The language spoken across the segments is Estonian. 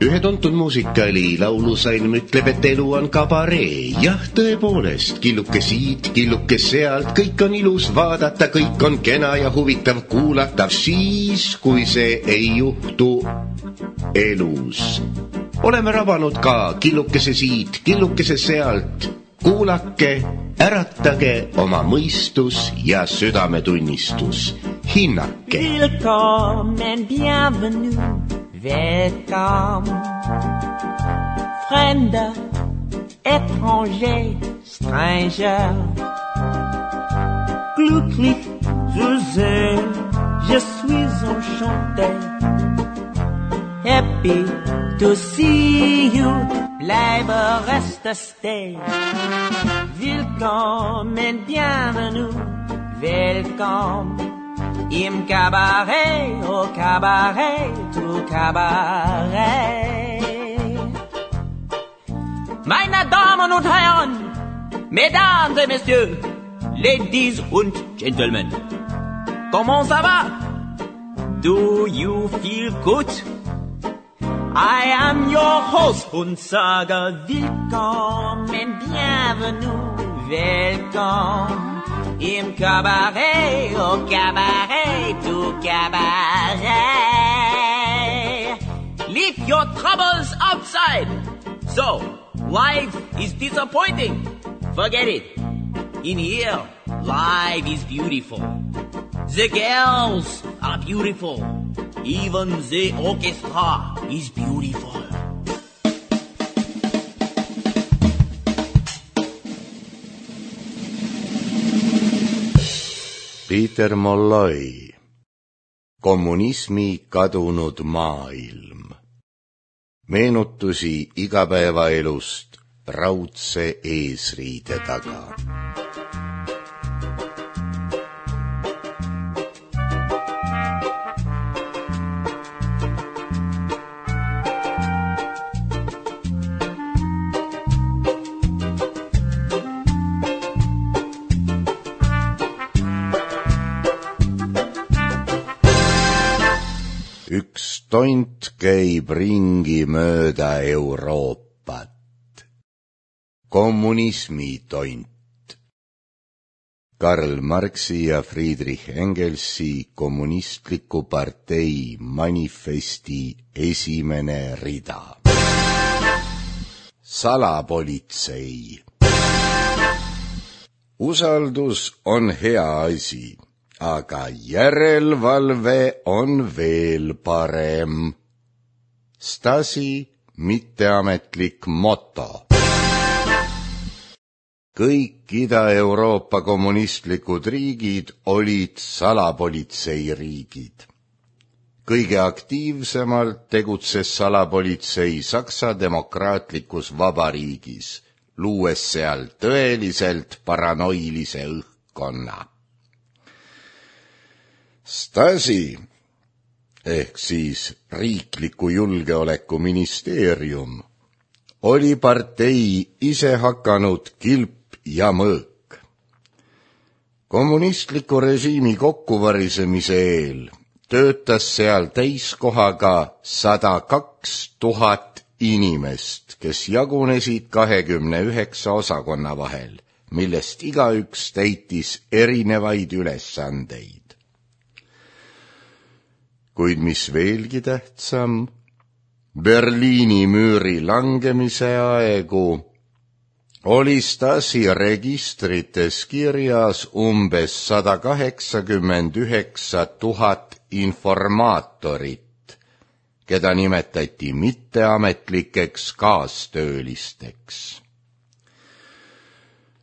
Ühe tuntud muusikali laulusalm ütleb, et elu on kabaree. Jah, tõepoolest, killuke siit, killuke sealt, kõik on ilus vaadata, kõik on kena ja huvitav kuulatav siis, kui see ei juhtu elus. Oleme rabanud ka killukese siit, killukese sealt. Kuulake, äratage oma mõistus ja südametunnistus. Hinnake. Willkommen, bienvenue. Welcome, fremder, étranger, stranger. Glücklich zu sehen, je suis enchanté. Happy to see you, bleibe, reste, stay. Willkommen, bienvenue, welcome. Im Cabaret, au Cabaret, tout Cabaret. Meine Damen und Herren, Mesdames et Messieurs, Ladies und Gentlemen, comment ça va? Do you feel good? I am your host und sage willkommen, bienvenue, welcome. Im Cabaret, au Cabaret, tout Cabaret. Leave your troubles outside. So, life is disappointing. Forget it. In here, life is beautiful. The girls are beautiful. Even the orchestra is beautiful. Peter Molloy, Kommunismi kadunud maailm. Meenutusi igapäevaelust raudse eesriide taga. Üks tont käib ringi mööda Euroopat. Kommunismi tont. Karl Marxi ja Friedrich Engelsi kommunistliku partei manifesti esimene rida. Salapolitsei. Usaldus on hea asi. Aga järelvalve on veel parem. Stasi mitteametlik moto. Kõik Ida-Euroopa kommunistlikud riigid olid salapolitseiriigid. Kõige aktiivsemalt tegutses salapolitsei Saksa demokraatlikus vabariigis, luues seal tõeliselt paranoilise õhkkonna. Stasi ehk siis riikliku julgeoleku ministeerium oli partei ise hakanud kilp ja mõõk. Kommunistliku režiimi kokkuvarisemise eel töötas seal täiskohaga 102 000 inimest, kes jagunesid 29 osakonna vahel, millest igaüks täitis erinevaid ülesandeid. Kuid mis veelgi tähtsam, Berliini müüri langemise aegu oli Stasi registrites kirjas umbes 189 000 informaatorit, keda nimetati mitteametlikeks kaastöölisteks.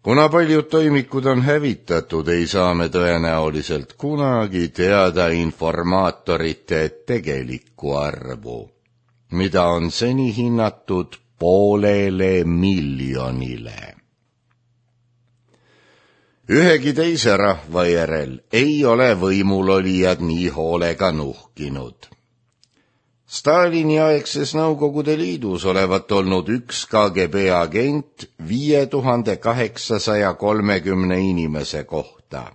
Kuna paljud toimikud on hävitatud, ei saa me tõenäoliselt kunagi teada informaatorite tegelikku arvu, mida on seni hinnatud 500 000. Ühegi teise rahva järel ei ole võimulolijad nii hoolega nuhkinud. Stalini aegses Nõukogude Liidus olevat olnud üks KGB agent 5830 inimese kohta.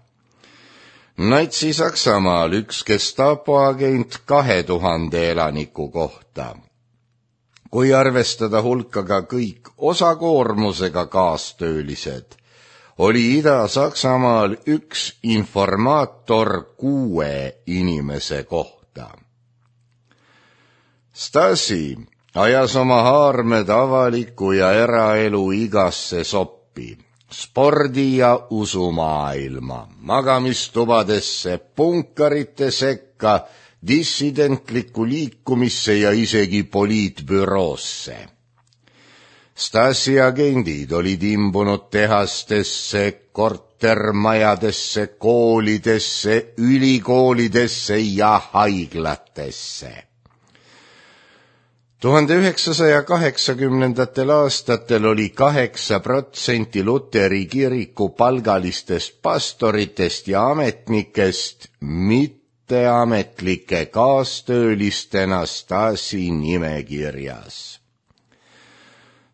Natsi-Saksamaal üks Gestapo-agent 2000 elaniku kohta. Kui arvestada hulka ka kõik osakoormusega kaastöölised, oli Ida-Saksamaal üks informaator 6 inimese kohta. Stasi ajas oma haarmed avaliku ja eraelu igasse soppi, spordi- ja usumaailma, magamistubadesse, punkarite sekka, dissidentlikku liikumisse ja isegi poliitbüroosse. Stasi agendid olid imbunud tehastesse, kortermajadesse, koolidesse, ülikoolidesse ja haiglatesse. 1980. aastatel oli 8% Luteri kiriku palgalistest pastoritest ja ametnikest mitteametlike kaastöölistena Stasi nimekirjas.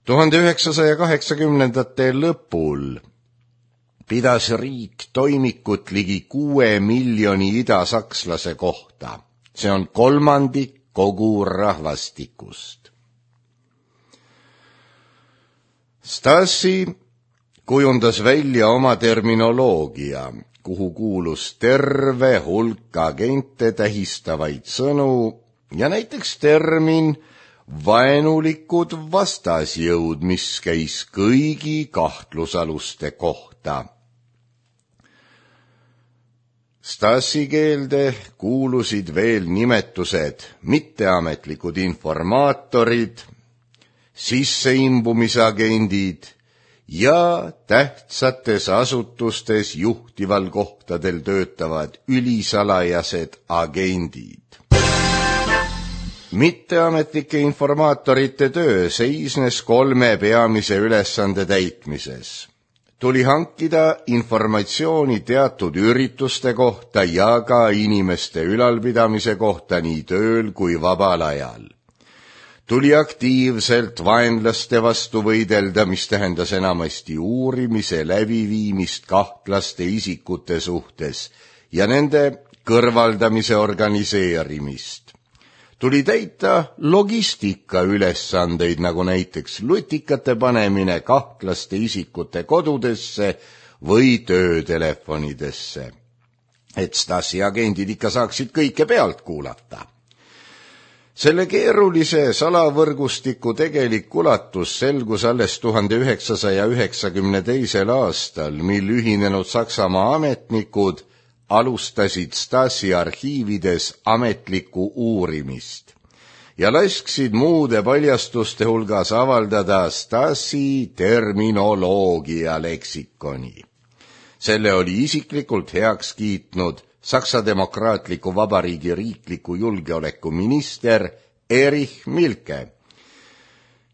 1980. lõpul pidas riik toimikut ligi 6 miljoni idasakslase kohta. See on 1/3 kogu rahvastikust. Stasi kujundas välja oma terminoloogia, kuhu kuulus terve hulk agente tähistavaid sõnu ja näiteks termin vaenulikud vastasjõud, mis käis kõigi kahtlusaluste kohta. Stasi keelde kuulusid veel nimetused mitteametlikud informaatorid, sisseimbumisagendid ja tähtsates asutustes juhtival kohtadel töötavad ülisalajased agendid. Mitteametlike informaatorite töö seisnes 3 peamise ülesande täitmises. Tuli hankida informatsiooni teatud ürituste kohta ja ka inimeste ülalpidamise kohta nii tööl kui vabal ajal. Tuli aktiivselt vaenlaste vastu võidelda, mis tähendas enamasti uurimise läbiviimist kahtlaste isikute suhtes ja nende kõrvaldamise organiseerimist. Tuli täita logistika ülesandeid, nagu näiteks lutikate panemine kahtlaste isikute kodudesse või töötelefonidesse, et Stasi agendid ikka saaksid kõike pealt kuulata. Selle keerulise salavõrgustiku tegelik ulatus selgus alles 1992. aastal, mil ühinenud Saksamaa ametnikud alustasid Stasi arhiivides ametlikku uurimist ja lasksid muude paljastuste hulgas avaldada Stasi terminoloogia leksikoni. Selle oli isiklikult heaks kiitnud Saksa Demokraatliku Vabariigi riikliku julgeolekuminister Erich Milke,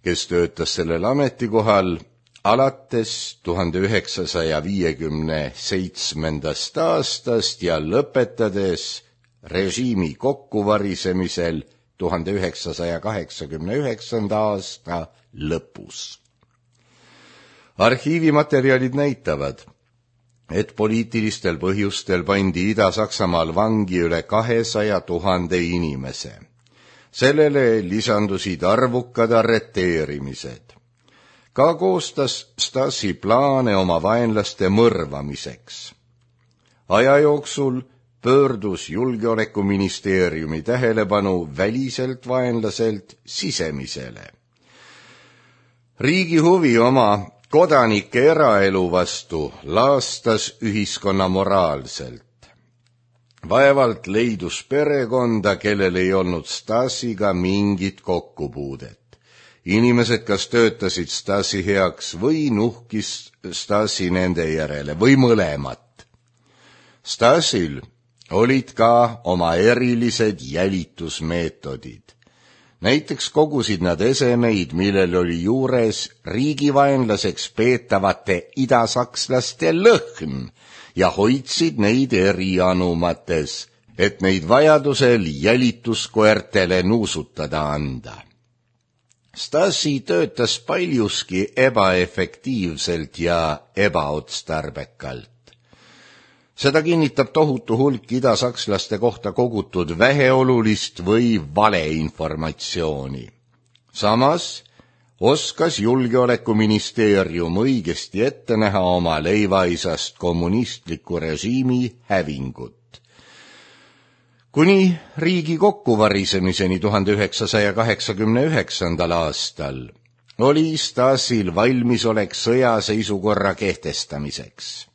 kes töötas sellel ametikohal alates 1957. aastast ja lõpetades režiimi kokkuvarisemisel 1989. aasta lõpus. Arhiivimaterjalid näitavad, et poliitilistel põhjustel pandi Ida-Saksamaal vangi üle 200 000 inimese. Sellele lisandusid arvukad arreteerimised. Ka koostas Stasi plaane oma vaenlaste mõrvamiseks. Aja jooksul pöördus julgeolekuministeeriumi tähelepanu väliselt vaenlaselt sisemisele. Riigi huvi oma kodanike eraelu vastu laastas ühiskonna moraalselt. Vaevalt leidus perekonda, kellel ei olnud Stasiga mingit kokkupuudet. Inimesed kas töötasid Stasi heaks või nuhkis Stasi nende järele või mõlemat. Stasil olid ka oma erilised jälitusmeetodid. Näiteks kogusid nad esemeid, millel oli juures riigivaenlaseks peetavate idasakslaste lõhn ja hoidsid neid erianumates, et neid vajadusel jälituskoertele nuusutada anda. Stasi töötas paljuski ebaefektiivselt ja ebaotstarbekalt. Seda kinnitab tohutu hulk idasakslaste kohta kogutud väheolulist või valeinformatsiooni. Samas oskas julgeolekuministeerium õigesti ette näha oma leivaisast kommunistliku režiimi hävingut. Kuni riigi kokkuvarisemiseni 1989. aastal oli Stasil valmisolek sõjaseisukorra kehtestamiseks.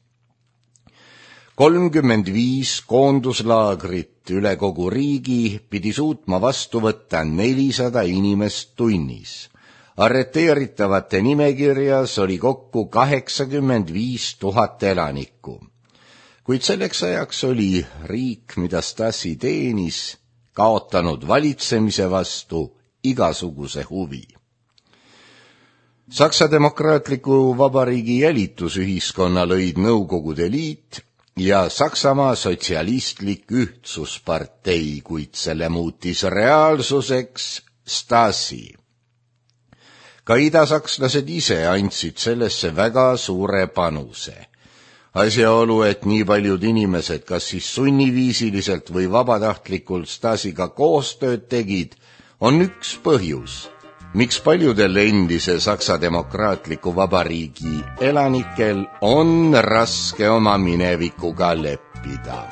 35 koonduslaagrit üle kogu riigi pidi suutma vastu võtta 400 inimest tunnis. Arreteeritavate nimekirjas oli kokku 85 000 elanikku. Kuid selleks ajaks oli riik, mida Stasi teenis, kaotanud valitsemise vastu igasuguse huvi. Saksa Demokraatliku Vabariigi jälitusühiskonna lõid Nõukogude Liit ja Saksamaa Sotsialistlik Ühtsuspartei, kuid selle muutis reaalsuseks Stasi. Ka idasakslased ise andsid sellesse väga suure panuse. Asjaolu, et nii paljud inimesed kas siis sunniviisiliselt või vabatahtlikult Stasiga koostööd tegid, on üks põhjus, miks paljudel endise Saksa Demokraatliku Vabariigi elanikel on raske oma minevikuga leppida.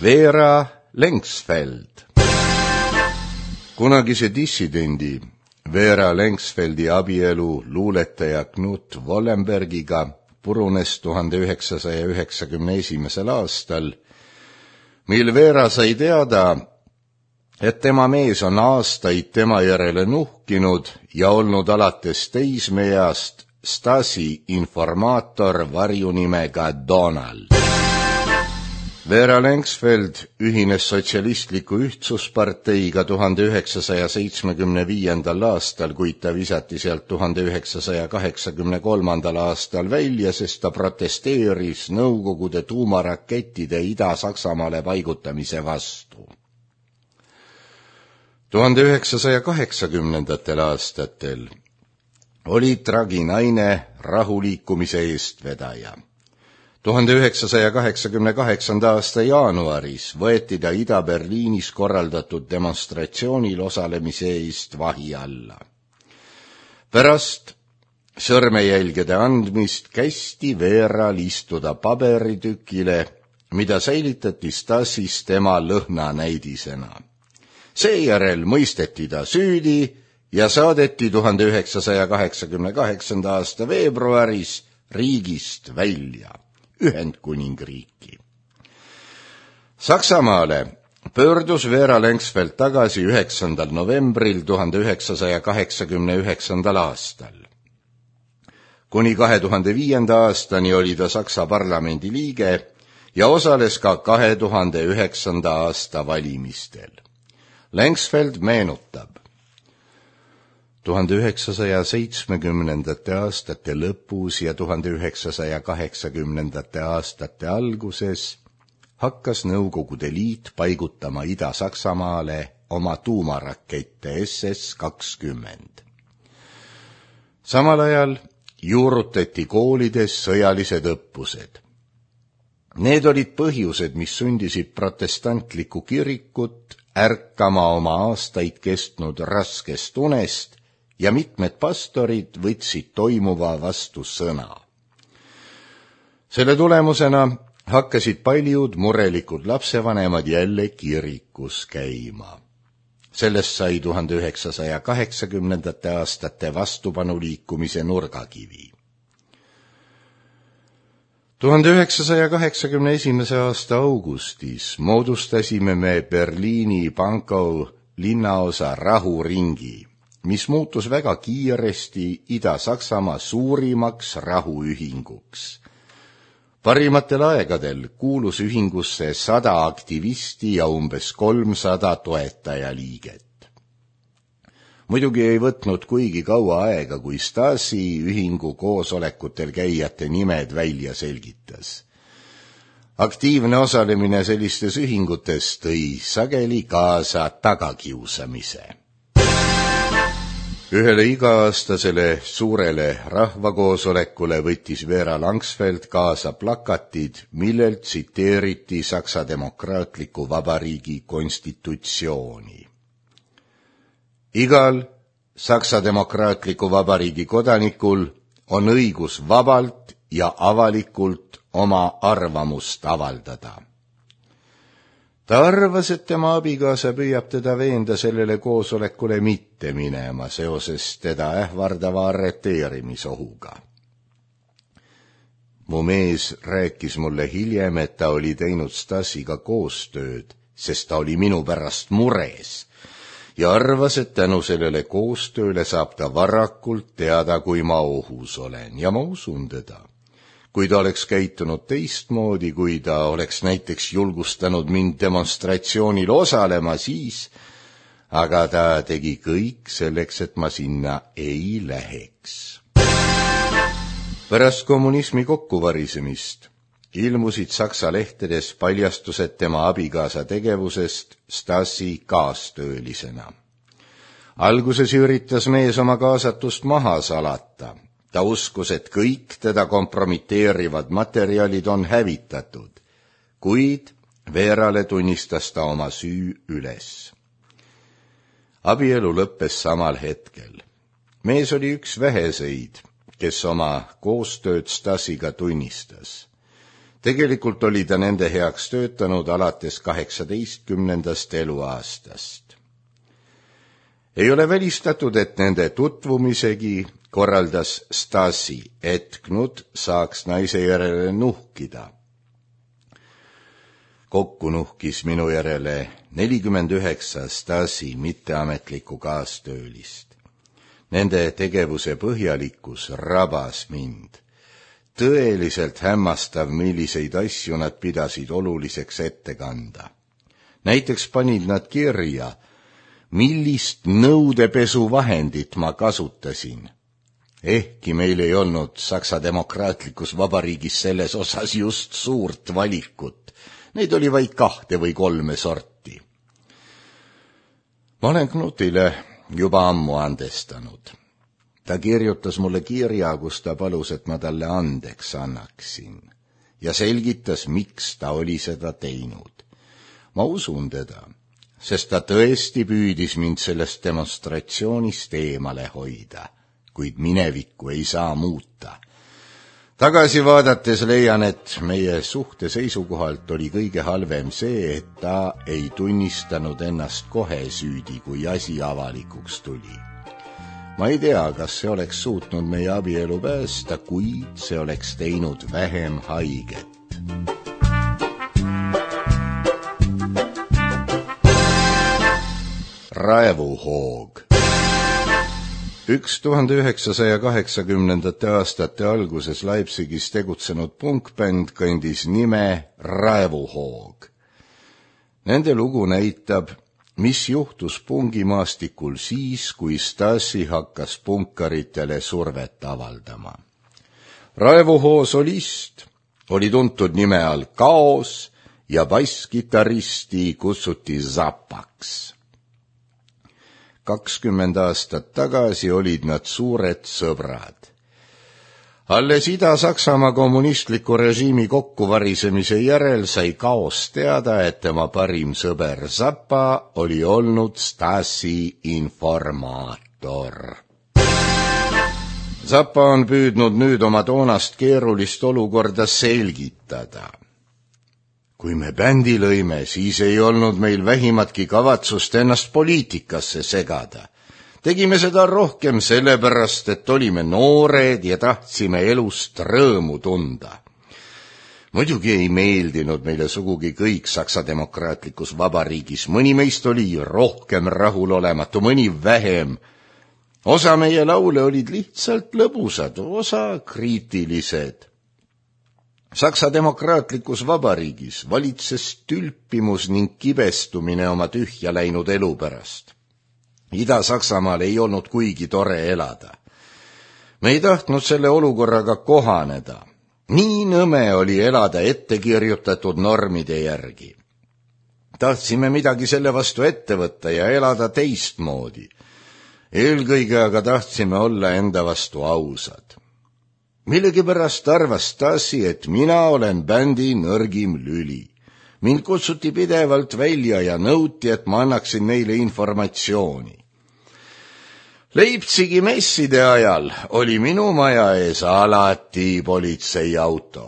Vera Lengsfeld. Kunagise dissidendi Vera Lengsfeldi abielu luuletaja Knut Wallenbergiga purunes 1991. aastal, mil Vera sai teada, et tema mees on aastaid tema järele nuhkinud ja olnud alates teismeeast Stasi informaator varjunimega Donald. Vera Lengsfeld ühines Sotsialistliku Ühtsusparteiga 1975. aastal, kuid ta visati sealt 1983. aastal välja, sest ta protesteeris Nõukogude tuumarakettide Ida-Saksamaale paigutamise vastu. 1980. aastatel oli Tragi naine rahuliikumise eestvedaja. 1988. aasta jaanuaris võeti ta Ida-Berliinis korraldatud demonstratsioonil osalemise eest vahi alla. Pärast sõrmejälgede andmist kästi Veral istuda paberitükile, mida säilitati Stasis tema lõhnanäidisena. Seejärel mõisteti ta süüdi ja saadeti 1988. aasta veebruaris riigist välja. Ühendkuningriiki. Saksamaale pöördus Vera Lengsfeld tagasi 9. novembril 1989. aastal. Kuni 2005. aastani oli ta Saksa parlamendi liige ja osales ka 2009. aasta valimistel. Lengsfeld meenutab: 1970. aastate lõpus ja 1980. aastate alguses hakkas Nõukogude Liit paigutama Ida-Saksamaale oma tuumarakette SS-20. Samal ajal juurutati koolides sõjalised õppused. Need olid põhjused, mis sundisid protestantlikku kirikut ärkama oma aastaid kestnud raskest unest ja mitmed pastorid võtsid toimuva vastu sõna. Selle tulemusena hakkasid paljud murelikud lapsevanemad jälle kirikus käima. Sellest sai 1980. aastate vastupanuliikumise nurgakivi. 1981. aasta augustis moodustasime me Berliini Pankow linnaosa rahuringi, mis muutus väga kiiresti Ida-Saksamaa suurimaks rahuühinguks. Parimatel aegadel kuulus ühingusse 100 aktivisti ja umbes 300 toetajaliiget. Muidugi ei võtnud kuigi kaua aega, kui Stasi ühingu koosolekutel käijate nimed välja selgitas. Aktiivne osalemine sellistes ühingutes tõi sageli kaasa tagakiusamise. Ühele iga-aastasele suurele rahvakoosolekule võttis Vera Langsfeld kaasa plakatid, millelt tsiteeriti Saksa Demokraatliku Vabariigi konstitutsiooni. Igal Saksa Demokraatliku Vabariigi kodanikul on õigus vabalt ja avalikult oma arvamust avaldada. Ta arvas, et tema abikaasa püüab teda veenda sellele koosolekule mitte minema seoses teda ähvardava arreteerimisohuga. Mu mees rääkis mulle hiljem, et ta oli teinud Stasiga koostööd, sest ta oli minu pärast mures ja arvas, et tänu sellele koostööle saab ta varakult teada, kui ma ohus olen, ja ma usun teda. Kui ta oleks käitunud teistmoodi, kui ta oleks näiteks julgustanud mind demonstratsioonil osalema, siis, aga ta tegi kõik selleks, et ma sinna ei läheks. Pärast kommunismi kokkuvarisemist ilmusid Saksa lehtedes paljastused tema abikaasa tegevusest Stasi kaastöölisena. Alguses üritas mees oma kaasatust maha salata. Ta uskus, et kõik teda kompromiteerivad materjalid on hävitatud, kuid Verale tunnistas ta oma süü üles. Abielu lõppes samal hetkel. Mees oli üks väheseid, kes oma koostööd Stasiga tunnistas. Tegelikult oli ta nende heaks töötanud alates 18. eluaastast. Ei ole välistatud, et nende tutvumisegi korraldas Stasi, et Knut saaks naise järele nuhkida. Kokku nuhkis minu järele 49 Stasi mitteametlikku kaastöölist. Nende tegevuse põhjalikkus rabas mind. Tõeliselt hämmastav, milliseid asju nad pidasid oluliseks ette kanda. Näiteks panid nad kirja, millist nõudepesuvahendit ma kasutasin. Ehkki meil ei olnud Saksa Demokraatlikus Vabariigis selles osas just suurt valikut. Neid oli vaid 2 või 3 sorti. Ma olen Knutile juba ammu andestanud. Ta kirjutas mulle kirja, kus ta palus, et ma talle andeks annaksin ja selgitas, miks ta oli seda teinud. Ma usun teda, sest ta tõesti püüdis mind sellest demonstratsioonist eemale hoida. Kuid minevikku ei saa muuta. Tagasi vaadates leian, et meie suhte seisukohalt oli kõige halvem see, et ta ei tunnistanud ennast kohe süüdi, kui asi avalikuks tuli. Ma ei tea, kas see oleks suutnud meie abielu päästa, kuid see oleks teinud vähem haiget. Raevuhoog. 1980. aastate alguses Leipzigis tegutsenud punkbänd kandis nime Raevuhoog. Nende lugu näitab, mis juhtus pungimaastikul siis, kui Stasi hakkas punkaritele survet avaldama. Raevuhoo solist oli tuntud nime all Kaos ja basskitarristi kutsuti Zappaks. 20 aastat tagasi olid nad suured sõbrad. Alles Ida-Saksamaa kommunistliku režiimi kokkuvarisemise järel sai Kaos teada, et tema parim sõber Zappa oli olnud Stasi informaator. Zappa on püüdnud nüüd oma toonast keerulist olukorda selgitada. Kui me bändi lõime, siis ei olnud meil vähimatki kavatsust ennast poliitikasse segada. Tegime seda rohkem sellepärast, et olime noored ja tahtsime elust rõõmu tunda. Muidugi ei meeldinud meile sugugi kõik Saksa Demokraatlikus Vabariigis. Mõni meist oli rohkem rahulolematu, mõni vähem. Osa meie laule olid lihtsalt lõbusad, osa kriitilised. Saksa Demokraatlikus Vabariigis valitses tülpimus ning kibestumine oma tühja läinud elu pärast. Ida-Saksamaal ei olnud kuigi tore elada. Me ei tahtnud selle olukorraga kohaneda. Nii nõme oli elada ettekirjutatud normide järgi. Tahtsime midagi selle vastu ette võtta ja elada teistmoodi. Eelkõige aga tahtsime olla enda vastu ausad. Millegipärast arvas Stasi, et mina olen bändi nõrgim lüli. Mind kutsuti pidevalt välja ja nõuti, et ma annaksin neile informatsiooni. Leipzigi messide ajal oli minu maja ees alati politseiauto.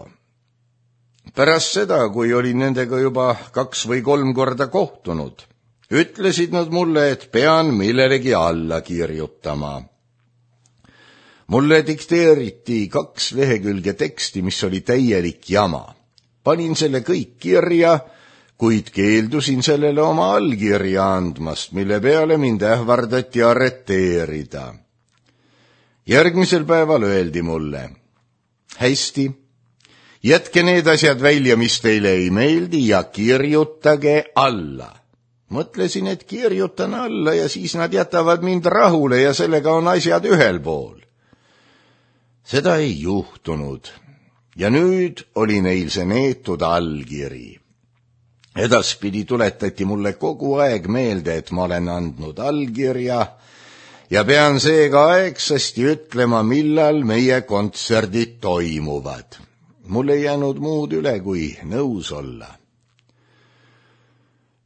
Pärast seda, kui olin nendega juba 2 või 3 korda kohtunud, ütlesid nad mulle, et pean millelegi alla kirjutama. Mulle dikteeriti 2 lehekülge teksti, mis oli täielik jama. Panin selle kõik kirja, kuid keeldusin sellele oma allkirja andmast, mille peale mind ähvardati arreteerida. Järgmisel päeval öeldi mulle, hästi, jätke need asjad välja, mis teile ei meeldi ja kirjutage alla. Mõtlesin, et kirjutan alla ja siis nad jätavad mind rahule ja sellega on asjad ühel pool. Seda ei juhtunud ja nüüd oli neil see neetud allkiri. Edaspidi tuletati mulle kogu aeg meelde, et ma olen andnud allkirja ja pean seega aegsasti ütlema, millal meie kontserdid toimuvad. Mul ei jäänud muud üle, kui nõus olla.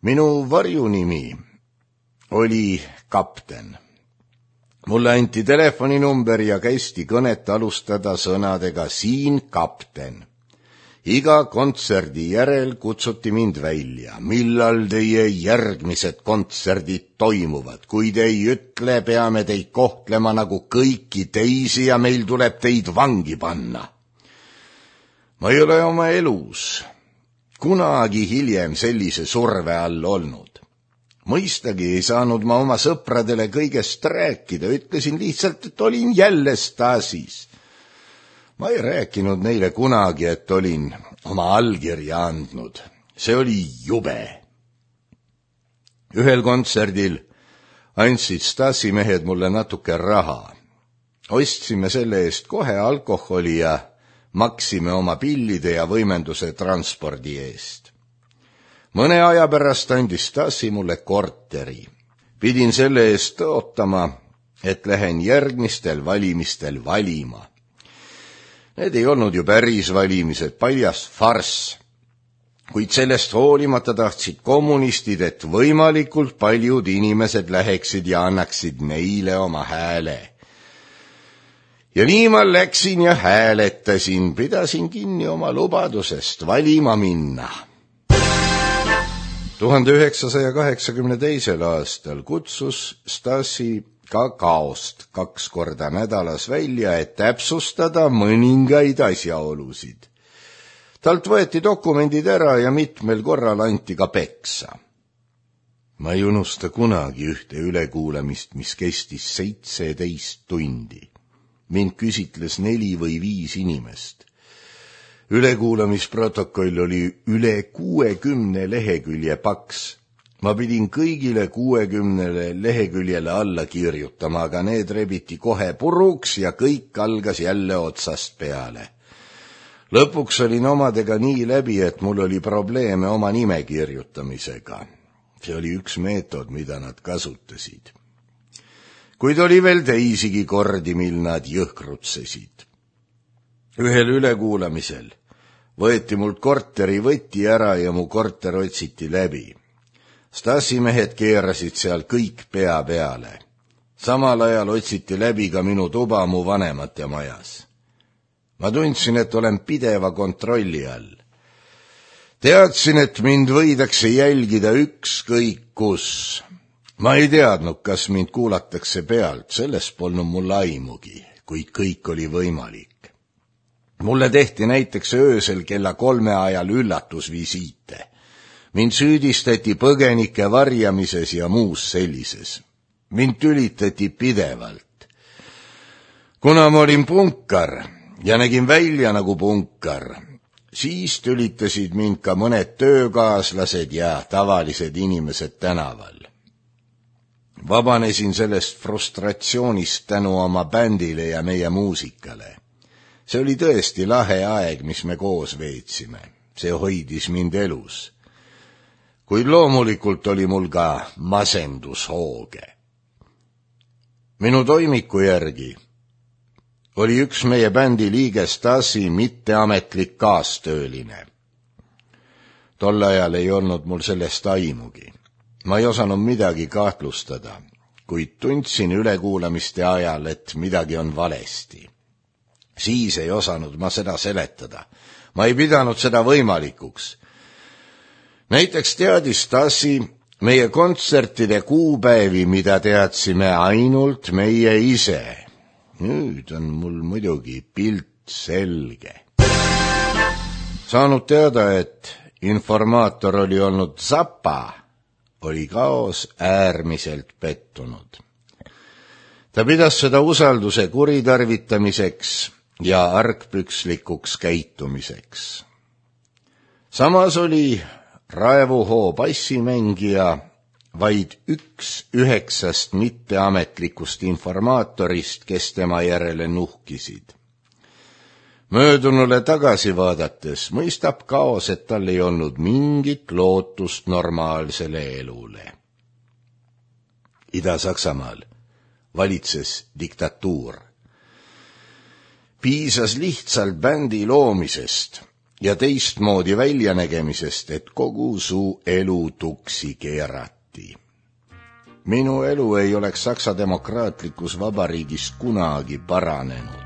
Minu varjunimi oli Kapten. Mulle anti telefoninumber ja kästi kõnet alustada sõnadega siin Kapten. Iga kontserdi järel kutsuti mind välja, millal teie järgmised kontserdid toimuvad. Kui te ei ütle, peame teid kohtlema nagu kõiki teisi ja meil tuleb teid vangi panna. Ma ei ole oma elus kunagi hiljem sellise surve all olnud. Mõistagi ei saanud ma oma sõpradele kõigest rääkida, ütlesin lihtsalt, et olin jälle Stasis. Ma ei rääkinud neile kunagi, et olin oma allkirja andnud. See oli jube. Ühel kontserdil andsid Stasi mehed mulle natuke raha. Ostsime selle eest kohe alkoholi ja maksime oma pillide ja võimenduse transpordi eest. Mõne aja pärast andis Stasi mulle korteri. Pidin selle eest ootama, et lähen järgmistel valimistel valima. Need ei olnud ju päris valimised, paljas farss. Kuid sellest hoolimata tahtsid kommunistid, et võimalikult paljud inimesed läheksid ja annaksid neile oma hääle. Ja nii ma läksin ja hääletasin, pidasin kinni oma lubadusest valima minna. 1982. aastal kutsus Stasi Kakaost 2 korda nädalas välja, et täpsustada mõningaid asjaolusid. Talt võeti dokumendid ära ja mitmel korral anti ka peksa. Ma ei unusta kunagi ühte ülekuulamist, mis kestis 17 tundi. Mind küsitles 4 või 5 inimest. Ülekuulamisprotokoll oli üle 60 lehekülje paks. Ma pidin kõigile 60 leheküljele alla kirjutama, aga need rebiti kohe puruks ja kõik algas jälle otsast peale. Lõpuks olin omadega nii läbi, et mul oli probleeme oma nime kirjutamisega. See oli üks meetod, mida nad kasutasid. Kuid oli veel teisigi kordi, mil nad jõhkrutsesid. Ühel ülekuulamisel võeti mult korteri võti ära ja mu korter otsiti läbi. Stasi mehed keerasid seal kõik pea peale. Samal ajal otsiti läbi ka minu tuba mu vanemate majas. Ma tundsin, et olen pideva kontrolli all. Teadsin, et mind võidakse jälgida ükskõik kus. Ma ei teadnud, kas mind kuulatakse pealt, sellest polnud mul aimugi, kuid kõik oli võimalik. Mulle tehti näiteks öösel kella 3 ajal üllatusvisiite. Mind süüdistati põgenike varjamises ja muus sellises. Mind tülitati pidevalt. Kuna ma olin punkar ja nägin välja nagu punkar, siis tülitasid mind ka mõned töökaaslased ja tavalised inimesed tänaval. Vabanesin sellest frustratsioonist tänu oma bändile ja meie muusikale. See oli tõesti lahe aeg, mis me koos veetsime. See hoidis mind elus. Kuid loomulikult oli mul ka masendushooge. Minu toimiku järgi oli üks meie bändi liige Stasi mitteametlik kaastööline. Tol ajal ei olnud mul sellest aimugi. Ma ei osanud midagi kahtlustada, kuid tundsin ülekuulamiste ajal, et midagi on valesti. Siis ei osanud ma seda seletada. Ma ei pidanud seda võimalikuks. Näiteks teadis Stasi meie kontsertide kuupäevi, mida teadsime ainult meie ise. Nüüd on mul muidugi pilt selge. Saanud teada, et informaator oli olnud Zappa, oli Kaos äärmiselt pettunud. Ta pidas seda usalduse kuritarvitamiseks ja argpükslikuks käitumiseks. Samas oli Raevuhoo bassimängija vaid 1/9 mitteametlikust informaatorist, kes tema järele nuhkisid. Möödunule tagasi vaadates mõistab Kaos, et tal ei olnud mingit lootust normaalsele elule. Ida-Saksamaal valitses diktatuur. Piisas lihtsalt bändi loomisest ja teistmoodi väljanägemisest, et kogu su elu tuksi keerati. Minu elu ei oleks Saksa demokraatlikus vabariigis kunagi paranenud.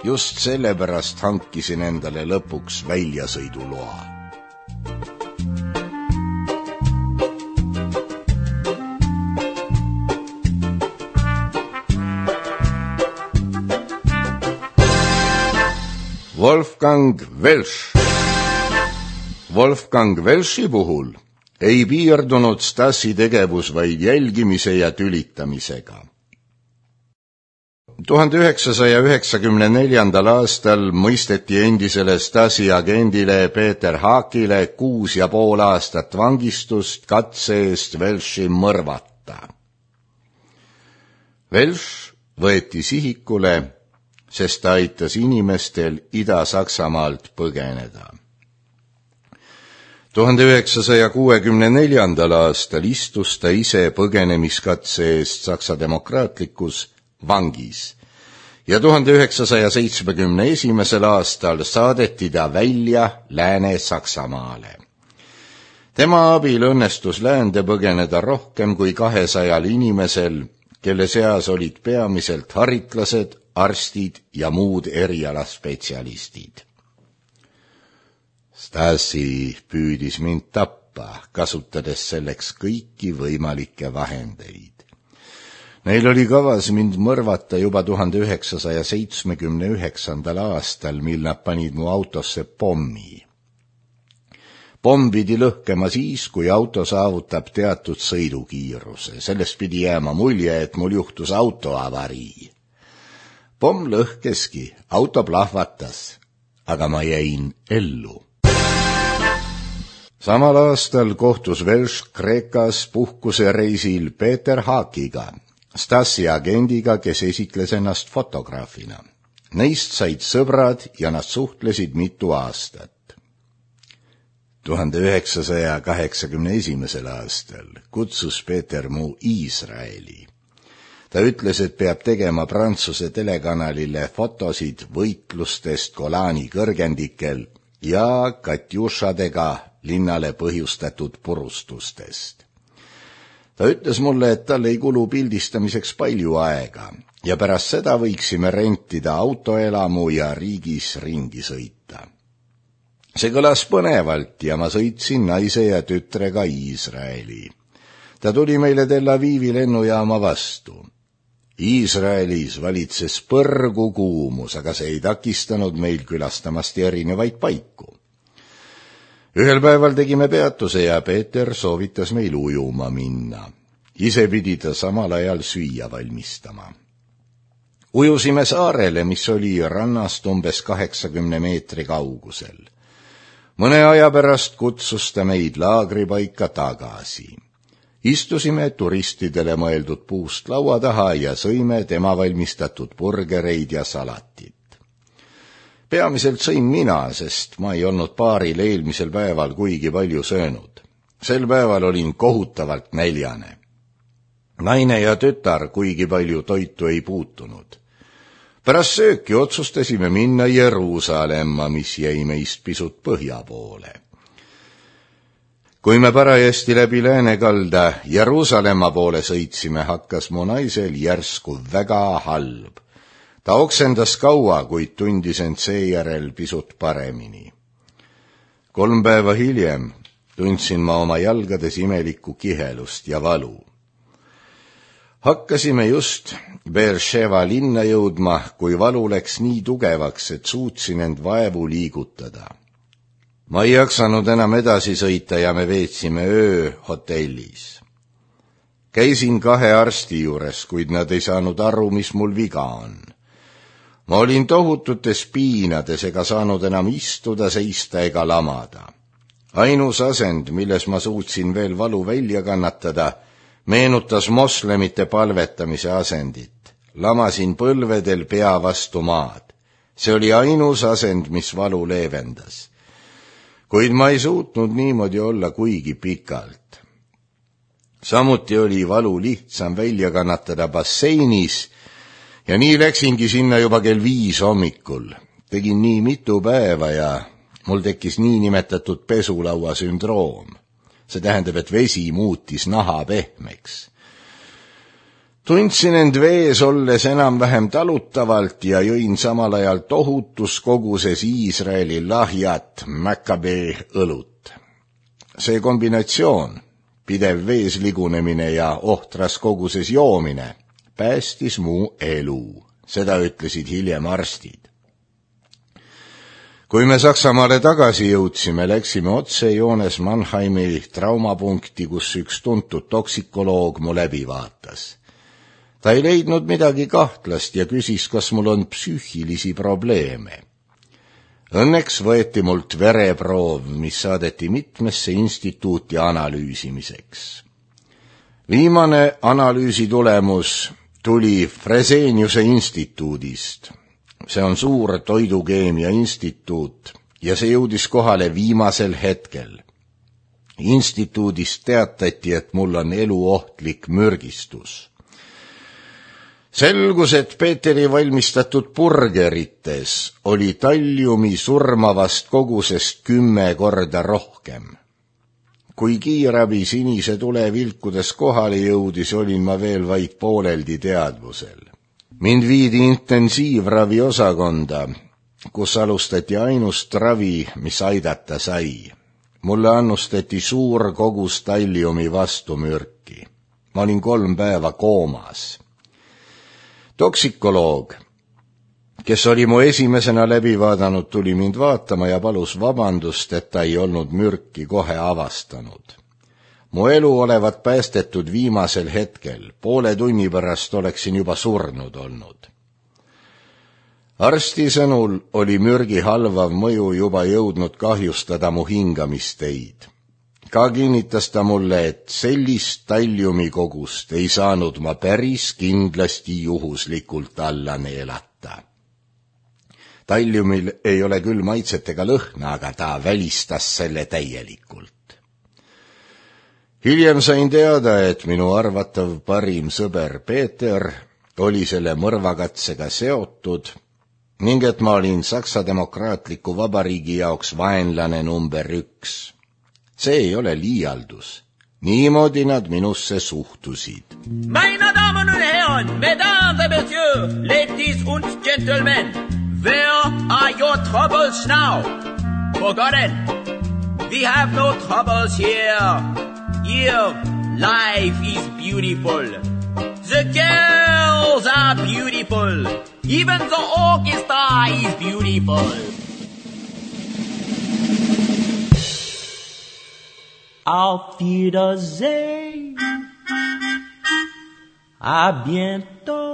Just sellepärast hankisin endale lõpuks väljasõiduloa. Wolfgang Welsch. Wolfgang Welchi puhul ei piirdunud Stasi tegevus vaid jälgimise ja tülitamisega. 1994. aastal mõisteti endisele Stasi agendile Peter Haakile 6,5 aastat vangistust katse eest Welchi mõrvata. Welch võeti sihikule, sest ta aitas inimestel Ida-Saksamaalt põgeneda. 1964. aastal istus ta ise põgenemiskatse eest Saksa demokraatlikus vangis ja 1971. aastal saadeti ta välja Lääne-Saksamaale. Tema abil õnnestus läände põgeneda rohkem kui 200 inimesel, kelle seas olid peamiselt haritlased, arstid ja muud erialaspetsialistid. Stasi püüdis mind tappa, kasutades selleks kõiki võimalikke vahendeid. Neil oli kavas mind mõrvata juba 1979. aastal, mil nad panid mu autosse pommi. Pomm pidi lõhkema siis, kui auto saavutab teatud sõidukiiruse. Sellest pidi jääma mulje, et mul juhtus autoavarii. Pomm lõhkeski, auto plahvatas, aga ma jäin ellu. Samal aastal kohtus Welch Kreekas puhkusereisil Peter Haakiga, Stasi agendiga, kes esitles ennast fotograafina. Neist said sõbrad ja nad suhtlesid mitu aastat. 1981. aastal kutsus Peter mu Iisraeli. Ta ütles, et peab tegema Prantsuse telekanalile fotosid võitlustest Golani kõrgendikel ja katjušadega linnale põhjustatud purustustest. Ta ütles mulle, et tal ei kulu pildistamiseks palju aega ja pärast seda võiksime rentida autoelamu ja riigis ringi sõita. See kõlas põnevalt ja ma sõitsin naise ja tütrega Iisraeli. Ta tuli meile Tel Avivi lennujaama vastu. Iisraelis valitses põrgu kuumus, aga see ei takistanud meil külastamast erinevaid paiku. Ühel päeval tegime peatuse ja Peeter soovitas meil ujuma minna. Ise pidi ta samal ajal süüa valmistama. Ujusime saarele, mis oli rannast umbes 80 meetri kaugusel. Mõne aja pärast kutsus ta meid laagripaika tagasi. Istusime turistidele mõeldud puust laua taha ja sõime tema valmistatud burgereid ja salatit. Peamiselt sõin mina, sest ma ei olnud paaril eelmisel päeval kuigi palju söönud. Sel päeval olin kohutavalt näljane. Naine ja tütar kuigi palju toitu ei puutunud. Pärast sööki otsustasime minna Jeruusalemma, mis jäi meist pisut põhja poole. Kui me parajasti läbi Läänekalda Jeruusalemma poole sõitsime, hakkas mu naisel järsku väga halb. Ta oksendas kaua, kuid tundis end seejärel pisut paremini. 3 päeva hiljem tundsin ma oma jalgades imelikku kihelust ja valu. Hakkasime just Beersheva linna jõudma, kui valu läks nii tugevaks, et suutsin end vaevu liigutada. Ma ei jaksanud enam edasi sõita ja me veetsime öö hotellis. Käisin 2 arsti juures, kuid nad ei saanud aru, mis mul viga on. Ma olin tohututes piinades ega saanud enam istuda, seista ega lamada. Ainus asend, milles ma suutsin veel valu välja kannatada, meenutas moslemite palvetamise asendit. Lamasin põlvedel pea vastu maad. See oli ainus asend, mis valu leevendas. Kuid ma ei suutnud niimoodi olla kuigi pikalt. Samuti oli valu lihtsam välja kannatada basseinis ja nii läksingi sinna juba kell 5 hommikul. Tegin nii mitu päeva ja mul tekkis niinimetatud pesulaua sündroom. See tähendab, et vesi muutis naha pehmeks. Tundsin end vees olles enam-vähem talutavalt ja jõin samal ajal tohutus koguses Iisraeli lahjat Maccabee õlut. See kombinatsioon, pidev vees ligunemine ja ohtras koguses joomine, päästis mu elu. Seda ütlesid hiljem arstid. Kui me Saksamaale tagasi jõudsime, läksime otsejoones Mannheimi traumapunkti, kus üks tuntud toksikoloog mu läbi vaatas. Ta ei leidnud midagi kahtlast ja küsis, kas mul on psüühilisi probleeme. Õnneks võeti mult vereproov, mis saadeti mitmesse instituuti analüüsimiseks. Viimane analüüsi tulemus tuli Freseniuse instituudist. See on suur toidukeemia instituut ja see jõudis kohale viimasel hetkel. Instituudist teatati, et mul on eluohtlik mürgistus. Selgus, et Peeteri valmistatud burgerites oli talliumi surmavast kogusest 10 korda rohkem. Kui kiirabi sinise tule vilkudes kohale jõudis, olin ma veel vaid pooleldi teadvusel. Mind viidi intensiivravi osakonda, kus alustati ainust ravi, mis aidata sai. Mulle annustati suur kogus talliumi vastumürki. Ma olin 3 päeva koomas. Toksikoloog, kes oli mu esimesena läbi vaadanud, tuli mind vaatama ja palus vabandust, et ta ei olnud mürki kohe avastanud. Mu elu olevat päästetud viimasel hetkel, 0,5 tunni pärast oleksin juba surnud olnud. Arsti sõnul oli mürgi halvav mõju juba jõudnud kahjustada mu hingamisteid. Ka kinnitas ta mulle, et sellist talliumikogust ei saanud ma päris kindlasti juhuslikult alla neelata. Talliumil ei ole küll maitset ega lõhna, aga ta välistas selle täielikult. Hiljem sain teada, et minu arvatav parim sõber Peeter oli selle mõrvakatsega seotud ning et ma olin Saksa Demokraatliku Vabariigi jaoks vaenlane number 1. See ei ole liialdus. Niimoodi nad minusse suhtusid. Meine Damen und Herren, mesdames et messieurs, ladies und gentlemen, where are your troubles now? Forgotten. We have no troubles here. Here, life is beautiful. The girls are beautiful. Even the orchestra is beautiful. Auf Wiedersehen. À bientôt.